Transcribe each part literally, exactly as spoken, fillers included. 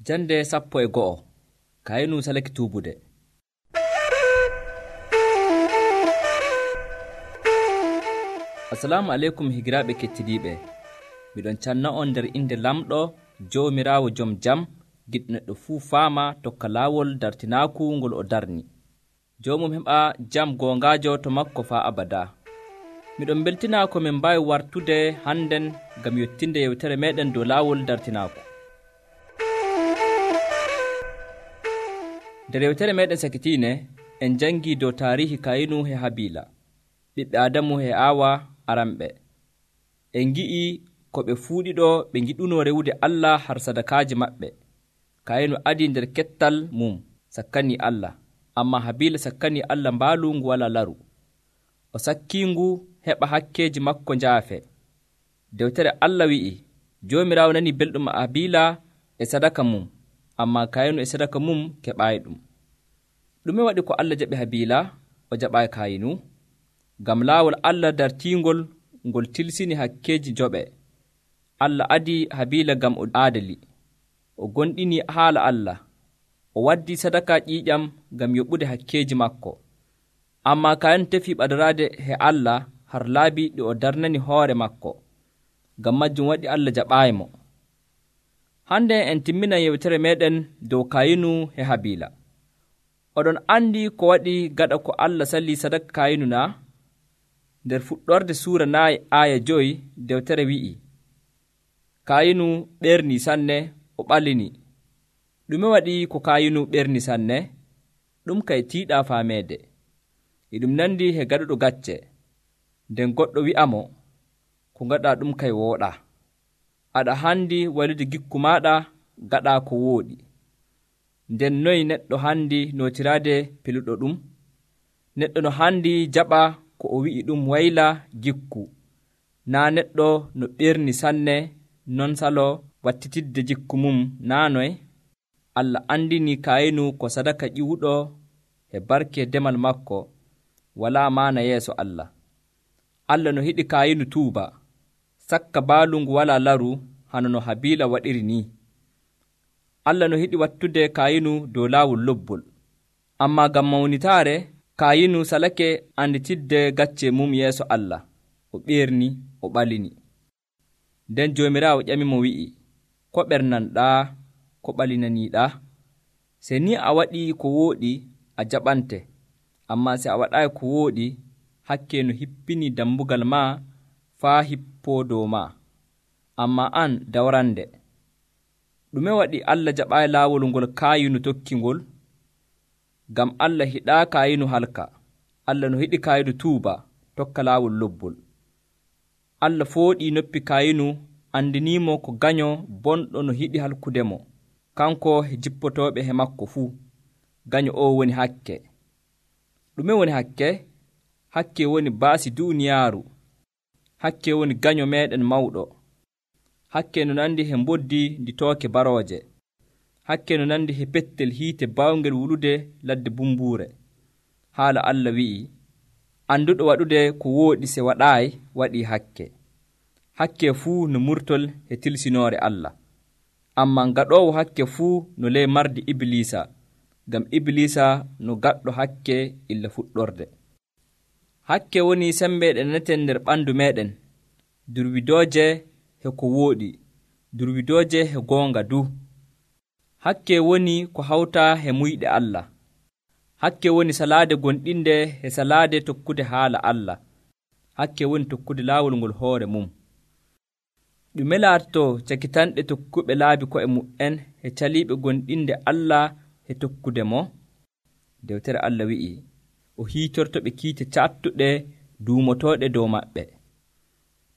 Jande sappo e go'o Kayinu salake tuubude. Assalamu aleykum higiraaɓe kettidiiɓe. Miɗon canna on nder inde lamɗo Joomiraawo jom jam, giɗɗo neɗɗo fuu faama tokka laawol dartinaaku ngol o darni. Joomum heɓa jam goongaajo to makko faa abada. Miɗon beltinaa ko min mbaawi wartude hannden ngam yottinde yewtere meeɗen dow laawol dartinaaku. nder yewtere meɗen sakitiine en jangii dow taarihi Kayinu e Habiila, ɓiɓɓe Adamu e Aawa aranɓe. En ngi'i ko ɓe fuuɗiɗo ɓe ngiɗunoo rewude Allah har sadakaaji maɓɓe. Kayinu adii nder kettal mum sakkanii Allah, ammaa Habiila sakkanii Allah mbaalu ngu walaa laru. O sakkiingu heɓa hakkeeji makko njaafe. Dewtere Allah wi'i, Joomiraawo nanii belɗum Habiila e sadaka mum, ammaa Kayinu e sadaka mum keɓaayi ɗum. Ɗume waɗi ko Allah jaɓi Habiila, o jaɓaayi Kayinu? Ngam laawol Allah dartiingol ngol tilsini hakkeeji joɓe. Allah adii Habiila ngam o aadali, o gonɗinii haala Allah, o waddii sadaka ƴiiƴam ngam yoɓude hakkeeji makko. Ammaa Kayinu tefii ɓadoraade he Allah har laabi ɗi o darnani hoore makko. Ngam majjum waɗi Allah jaɓaayimo. Hande en timminan yewtere meɗen dow Kayinu e Habiila. Oɗon andi ko waɗi gaɗa ko Allah salli sadaka Kayinu na? Nder fuɗɗorde suura naayi aaya joyi dewtere wi'i, Kayinu ɓerni sanne, o ɓalini. Ɗume waɗi ko Kayinu ɓerni sanne? Ɗum kay tiiɗaa faameede. E ɗum nandi he gaɗuɗo gacce. Nden goɗɗo wi'amo, ko gaɗa ɗum kay wooɗa. Aɗa handi walude gikku maaɗa gaɗa ko wooɗi. Nden noy neɗɗo handi nootiraade peluɗo ɗum? Neɗɗo no handi jaɓa ko o wi'i ɗum wayla gikku. Naa neɗɗo no ɓerni sanne non salo wattitidde jikku mum naa noy? Allah andini Kayinu ko sadaka ƴiwuɗo e barke demal makko walaa maana yeeso Allah. Allah no hiɗi Kayinu tuuba, sakka baalu ngu walaa laru hano no Habiila waɗiri ni. Allah no hiɗi wattude Kayinu dow laawol lobbol. Ammaa ngam mawnitaare, Kayinu salake anditidde gacce mum yeeso Allah. O ɓerni, o ɓalini. Nden Joomiraawo ƴamimo wi'i, ko ɓernanɗaa, ko ɓalinaniiɗaa? Se ni a waɗii ko wooɗi, a jaɓante. Ammaa se a waɗaayi ko wooɗi, hakke no hippini dambugal maa faa hippoo dow maa. Ammaa an dawrande. Ɗume waɗi Allah jaɓaayi laawol ngol Kayinu tokkingol? Ngam Allah hiɗaa Kayinu halka. Allah no hiɗi Kayinu tuuba, tokka laawol lobbol. Allah fooɗii noppi Kayinu, andiniimo ko gaño bonɗo no hiɗi halkudemo, kanko e jippotooɓe he makko fuu. Gaño o woni hakke. Ɗume woni hakke? Hakke woni baasi duuniyaaru. Hakke woni gaño meeɗen mawɗo. Hakke no nandi he mboddi ndi tooke barooje. Hakke no nandi he pettel hiite bawngel wulude ladde bumbuure. Haala Allah wi'i, anduɗo waɗude ko wooɗi se waɗaayi waɗii hakke. Hakke fuu no murtol he tilsinoore Allah. Ammaa gaɗoowo hakke fuu no ley mardi Ibliisa, ngam Ibliisa no gaɗɗo hakke illa fuɗɗorde. Hakke woni sembe ɗe naneten nder ɓandu meɗen, durwidooje he ko wooɗi, durwidooje he goonga du. Hakke woni ko hawta he muyɗe Allah. Hakke woni salaade gonɗinde he salaade tokkude haala Allah. Hakke woni tokkude laawol ngol hoore mum. Ɗume laatoto cakitanɗe tokkuɓe laabi ko'e mu'en he caliiɓe gonɗinde Allah he tokkude mo? Dewtere Allah wi'i, o hiitorto ɓe kiite cattuɗe duumotooɗe dow maɓɓe.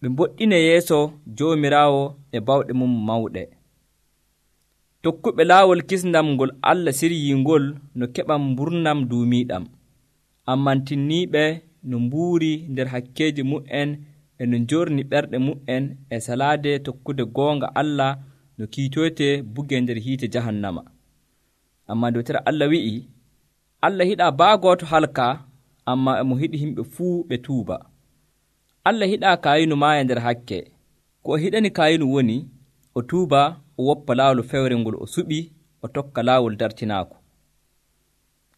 Ɓe mboɗɗine yeeso Joomiraawo e bawɗe mum mawɗe. Tokkuɓe laawol kisndam ngol Allah siryingol no keɓa mburnam duumiiɗam. Ammantinniiɓe no mbuuri nder hakkeeji mu'en e no njorni ɓerɗe mu'en e salaade tokkude goonga Allah no kiitoyte buge nder hiite jahannama. Ammaa dewtere Allah wi'i, Allah hiɗaa baagooto halka, ammaa emo hiɗi himɓe fuu ɓe tuuba. Allah hiɗaa Kayinu maaya nder hakke. Ko o hiɗani Kayinu woni, o tuuba, o woppa laawol fewre ngol o suɓi o tokka laawol dartinaako.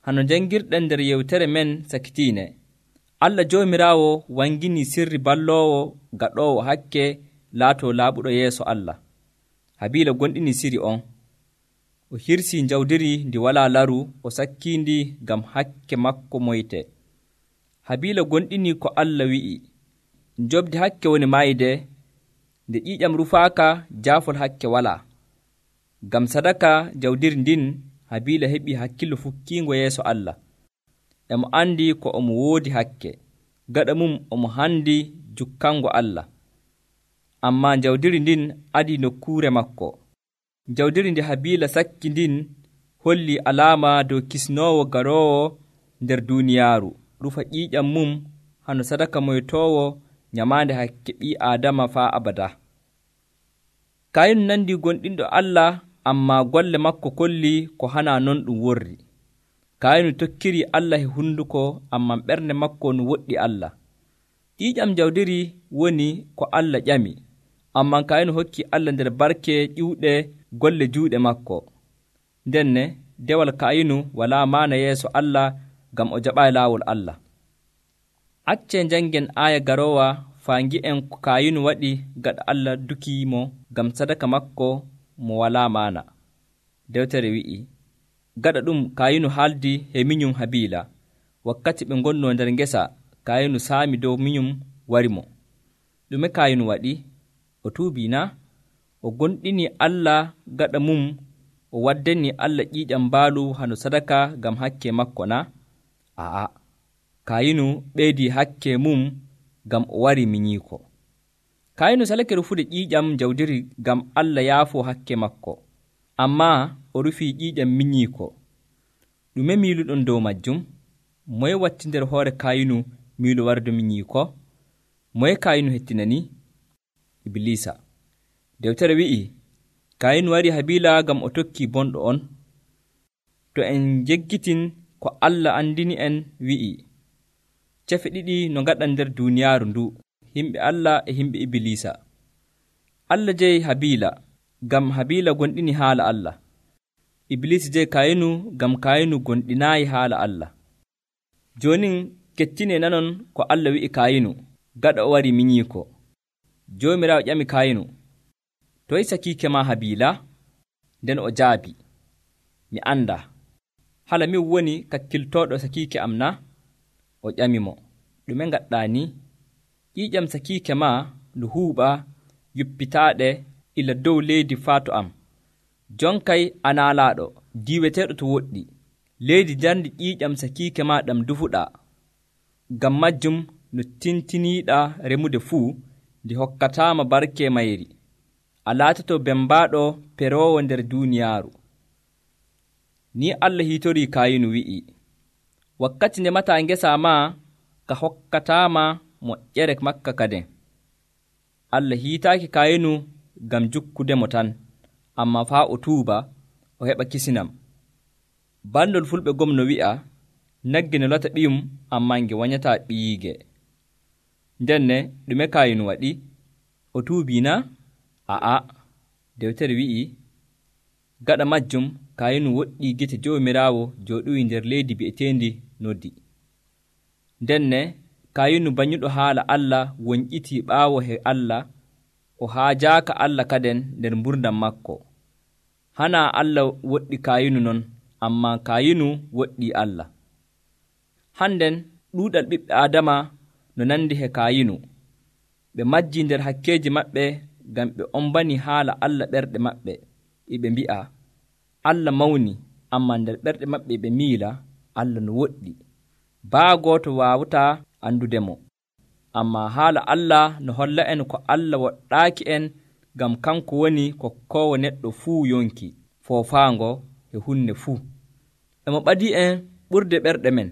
Hano jangirɗen nder yewtere men sakitiine, Allah Joomiraawo wangini sirri balloowo gaɗoowo hakke laatoo laaɓuɗo yeeso Allah. Habiila gonɗini siri on. O hirsii jawdiri ndi walaa laru o sakkiindi ngam hakke makko moyte. Habiila gonɗini ko Allah wi'i, njobdi hakke woni mayde, nde ƴiiƴam rufaaka jaafol hakke walaa. Ngam sadaka jawdiri ndin Habiila heɓi hakkillo fukkiingo yeeso Allah. Emo andi ko omo woodi hakke, gaɗa mum omo handi jukkango Allah. Ammaa jawdiri ndin adi nokkuure makko. Jawdiri ndi Habiila sakki ndin holli alaama dow kisnoowo garoowo nder duuniyaaru rufa ƴiiƴam mum hano sadaka moytoowo nyamaande hakke ɓii Aadama faa abada. Kayinu nandi gonɗinɗo Allah, ammaa golle makko kolli ko hana non ɗum worri. Kayinu tokkiri Allah e hunduko, ammaa ɓernde makko no woɗɗi Allah. Ƴiiƴam jawdiri woni ko Allah ƴami, ammaa Kayinu hokki Allah nder barke ƴiwɗe golle juuɗe makko. Ndenne dewal Kayinu walaa maana yeeso Allah ngam o jaɓaayi laawol Allah. Accee janngen aaya garoowa faa ngi'en ko Kayinu waɗi gaɗa Allah dukiimo ngam sadaka makko mo walaa maana. Dewtere wi'i, gaɗa ɗum Kayinu haaldi he minyum Habiila. Wakkati ɓe ngonnoo nder ngesa, Kayinu saami dow minyum warimo. Ɗume Kayinu waɗi? O tuubii na? O gonɗini Allah gaɗa mum o waddani Allah ƴiiƴam mbaalu hano sadaka ngam hakke makko na? Aa, Kayinu ɓeydii hakke mum ngam o wari minyiiko. Kayinu salake rufude ƴiiƴam jawdiri ngam Allah yaafoo hakke makko, ammaa o rufii ƴiiƴam minyiiko. Ɗume miiluɗon dow majjum? Moye watti nder hoore Kayinu miilu warde minyiiko? Moye Kayinu hettinani? Iblisa. Dewtere wi'i, Kayinu wari Habiila ngam o tokkii bonɗo on. To en jeggitin ko Allah andini en wi'i, cefe ɗiɗi no ngaɗan nder duuniyaaru ndu, himɓe Allah e himɓe Iblisa. Allah jeyi Habiila ngam Habiila gonɗini haala Allah. Iblisa jeyi Kayinu ngam Kayinu gonɗinaayi haala Allah. Joonin kettine nanon ko Allah wi'i Kayinu gaɗa o wari minyiiko. Joomiraawo ƴami Kayinu, toye sakiike ma Habiila? Nden o jaabi, mi anda. Hala min woni kakkiltooɗo sakiike am na? O ƴami mo, ɗume ngaɗɗaa ni? Ƴiiƴam sakiike ma ndu huuɓa yuppitaaɗe ila dow leydi faato am. Jonkay a naalaaɗo diiweteeɗo to woɗɗi. Leydi jarndi ƴiiƴam sakiike ma ɗam dufuɗaa. Ngam majjum no tintiniiɗaa remude fuu, ndi hokkataama barke mayri. A laatoto bembaaɗo peroowo nder duuniyaaru. Ni Allah hiitorii Kayinu wi'i, wakkati ndemataa ngesa ma ka hokkataama moƴƴere makka kaden. Allah hiitaaki Kayinu ngam jukkudemo tan, ammaa faa o tuuba o heɓa kisinam. Bandol fulɓe gom no wi'a, nagge no lata ɓiyum ammaa nge wanyataa ɓiyiige. Ndenne ɗume Kayinu waɗi? O tuubii na? Aa, dewtere wi'i, gaɗa majjum Kayinu woɗɗii gite Joomiraawo jooɗoyi nder leydi bi'eteendi Noddi. Ndenne Kayinu banyuɗo haala Allah wonƴitii ɓaawo he Allah, o haajaaka Allah kaden nder mburdam makko. Hanaa Allah woɗɗi Kayinu non, ammaa Kayinu woɗɗii Allah. Hannden ɗuuɗal ɓiɓɓe Aadama no nandi he Kayinu. Ɓe majjii nder hakkeeji maɓɓe ngam ɓe ombani haala Allah ɓerɗe maɓɓe, e ɓe mbi'a, Allah mawni, ammaa nder ɓerɗe maɓɓe ɓe miila, Allah no woɗɗi. Baa gooto waawataa andudemo. Ammaa haala Allah no holla en ko Allah woɗɗaaki en ngam kanko woni kokkoowo neɗɗo fuu yonki, foofaango e hunde fuu. Emo ɓadii en ɓurde ɓerɗe men.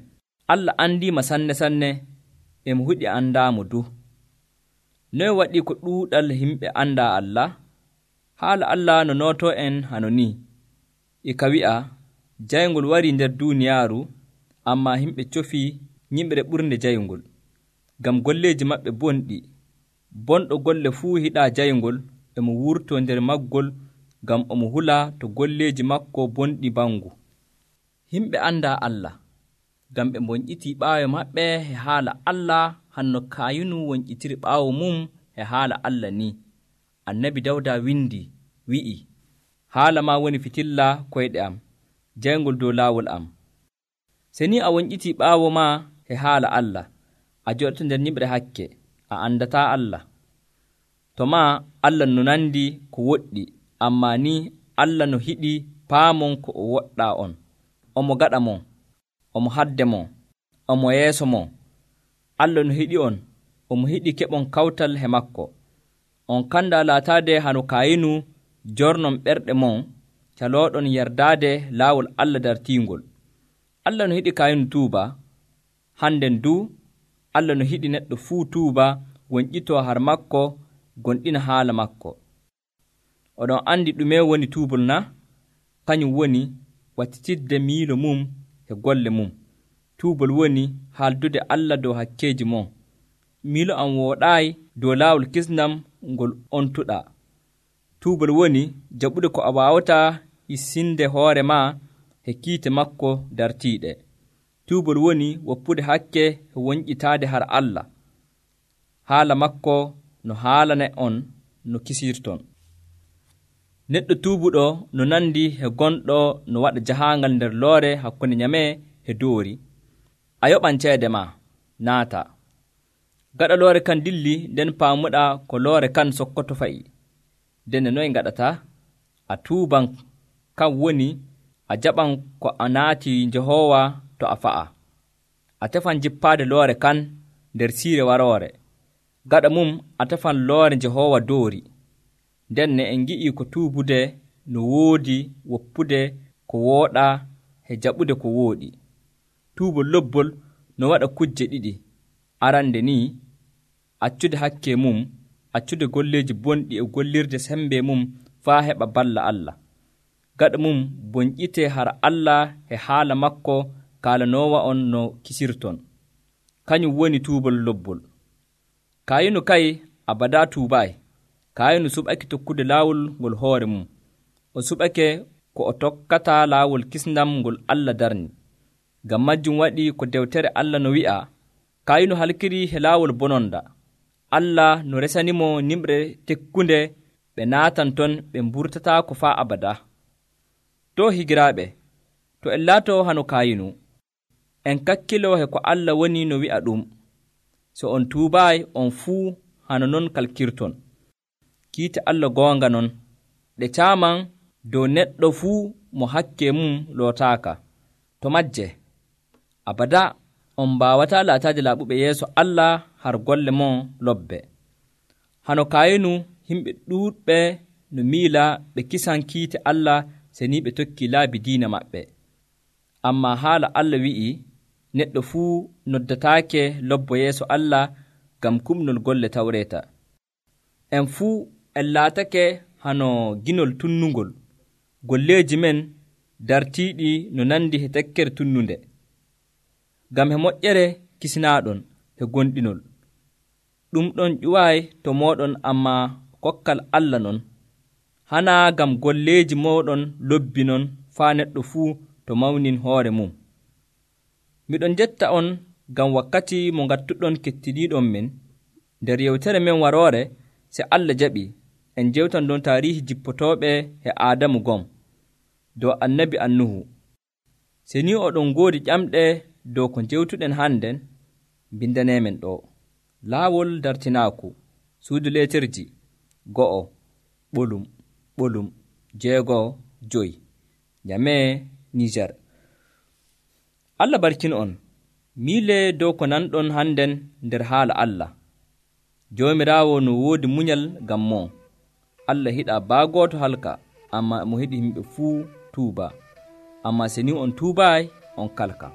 Allah andiima sanne sanne, emo huɗi andaamo du. Noye waɗi ko ɗuuɗal himɓe andaa Allah? Haala Allah no nootoo en hano ni. E ka wi'a, jayngol warii nder duuniyaaru, ammaa himɓe cofii ñimre ɓurnde jayngol. Ngam golleeji maɓɓe bonɗi. Bonɗo golle fuu hiɗaa jayngol, emo wurtoo nder maggol ngam omo hula to golleeji makko bonɗi bangu. Himɓe andaa Allah, ngam ɓe mbonƴitii ɓaawo maɓɓe e haala Allah hanno Kaayinu wonƴitiri ɓaawo mum e haala Allah ni. Annabi Dawda windi wi'i, haala ma woni fitilla koyɗe am, jayngol dow laawol am. Se ni a wonƴitii ɓaawo ma e haala Allah, a joɗoto nder ñiɓre hakke, a andataa Allah. To maa Allah no nandi ko woɗɗi, ammaa ni Allah no hiɗi paamon ko o woɗɗaa on. Omo gaɗa mon, omo hadde mon, omo yeeso mon. Allah no hiɗi on, omo hiɗi keɓon kawtal he makko. On kanda laataade hano Kaayinu jornon ɓerɗe mon, calooɗon yerdaade laawol Allah dartiingol. Allah no hiɗi Kaayinu tuuba, hannden du Allah no hiɗi neɗɗo fuu tuuba wonƴitoo har makko gonɗina haala makko. Oɗon andi ɗume woni tuubol na? Kañum woni wattitidde miilo mum e golle mum. Tuubol woni haaldude Allah dow hakkeeji mon. Miilo am wooɗaayi dow laawol kisnam ngol ontuɗaa. Tuubol woni jaɓude ko a waawataa hissinde hoore ma e kiite makko dartiiɗe. Tuubol woni woppude hakke e wonƴitaade har Allah. Haala makko no haalane on no kisirton. Neɗɗo tuubuɗo no nandi e gonɗo no waɗa jahaangal nder loore hakkunde nyamee e doori. A yoɓan ceede ma, naata. Gaɗa loore kan dilli, nden paamuɗaa ko loore kan sokkoto fa'i. Nden noye ngaɗata? A tuuban, kan woni a jaɓan ko a naati Jehoowa to a fa'a. A tefan jippaade loore kan nder siire waroore. Gaɗa mum a tefan loore Jehoowa doori. Nden ne en ngi'ii ko tuubude no woodi woppude ko wooɗaa e jaɓude ko wooɗi. Tuubol lobbol no waɗa kujje ɗiɗi. Arande ni, accude hakke mum, accude golleeji bonɗi e gollirde sembe mum faa heɓa balla Allah. Gaɗa mum bonƴitee har Allah e haala makko kaalanoowa on no kisirton. Kañum woni tuubol lobbol. Kaayinu kay abadaa tuubaay. Kaayinu suɓake tokkude laawol ngol hoore mum. O suɓake ko o tokkataa laawol kisndam ngol Allah darni. Ngam majjum waɗi ko dewtere Allah no wi'a, Kaayinu halkirii he laawol bononda. Allah no resanimo nimre tekkunde ɓe naatan ton ɓe mburtataa ko faa abada. To higiraaɓe, to en laatoo hano Kaayinu, en kakkiloo he ko Allah woni no wi'a ɗum. So on tuubaay, on fuu hano non kalkirton. Kiite Allah goonga non, ɗe caaman dow neɗɗo fuu mo hakke mum lootaaka. To majje, abada on mbaawataa laataade laaɓuɓe yeeso Allah har golle mon lobbe. Hano Kaayinu himɓe ɗuuɗɓe no miila ɓe kisan kiite Allah se ni ɓe tokki laabi diina maɓɓe. Ammaa haala Allah wi'i, neɗɗo fuu noddataake lobbo yeeso Allah ngam kumnol golle tawreeta. En fuu en laatake hano ginol tunnungol. Golleeji men dartiiɗi no nandi he tekkere tunnunde. Ngam he moƴƴere kisinaaɗon he gonɗinol. Ɗum ɗon ƴuwaayi to mooɗon, ammaa kokkal Allah non. Hanaa ngam golleeji mooɗon lobbi non faa neɗɗo fuu to mawnin hoore mum. Miɗon jetta on ngam wakkati mo ngattuɗon kettiɗiiɗon men. Nder yewtere men waroore, se Allah jaɓi, en jewtan ɗon taarihi jippotooɓe e Aadamu gom, dow annabi Annuhu. Se ni oɗon ngoodi ƴamɗe dow ko jewtuɗen hannden, bindaneemen ɗo. Laawol dartinaaku, suudu leeterji, go'o, ɓolum, ɓolum, jeego, joyi, Nyamee, Niger. Allah barkino on. Miile dow ko nanɗon hannden nder haala Allah. Joomiraawo no woodi munyal ngam mon. Allah hiɗaa baagooto halka, ammaa mo hiɗi yimɓe fuu tuuba. Ammaa se ni on tuubaay, on kalka.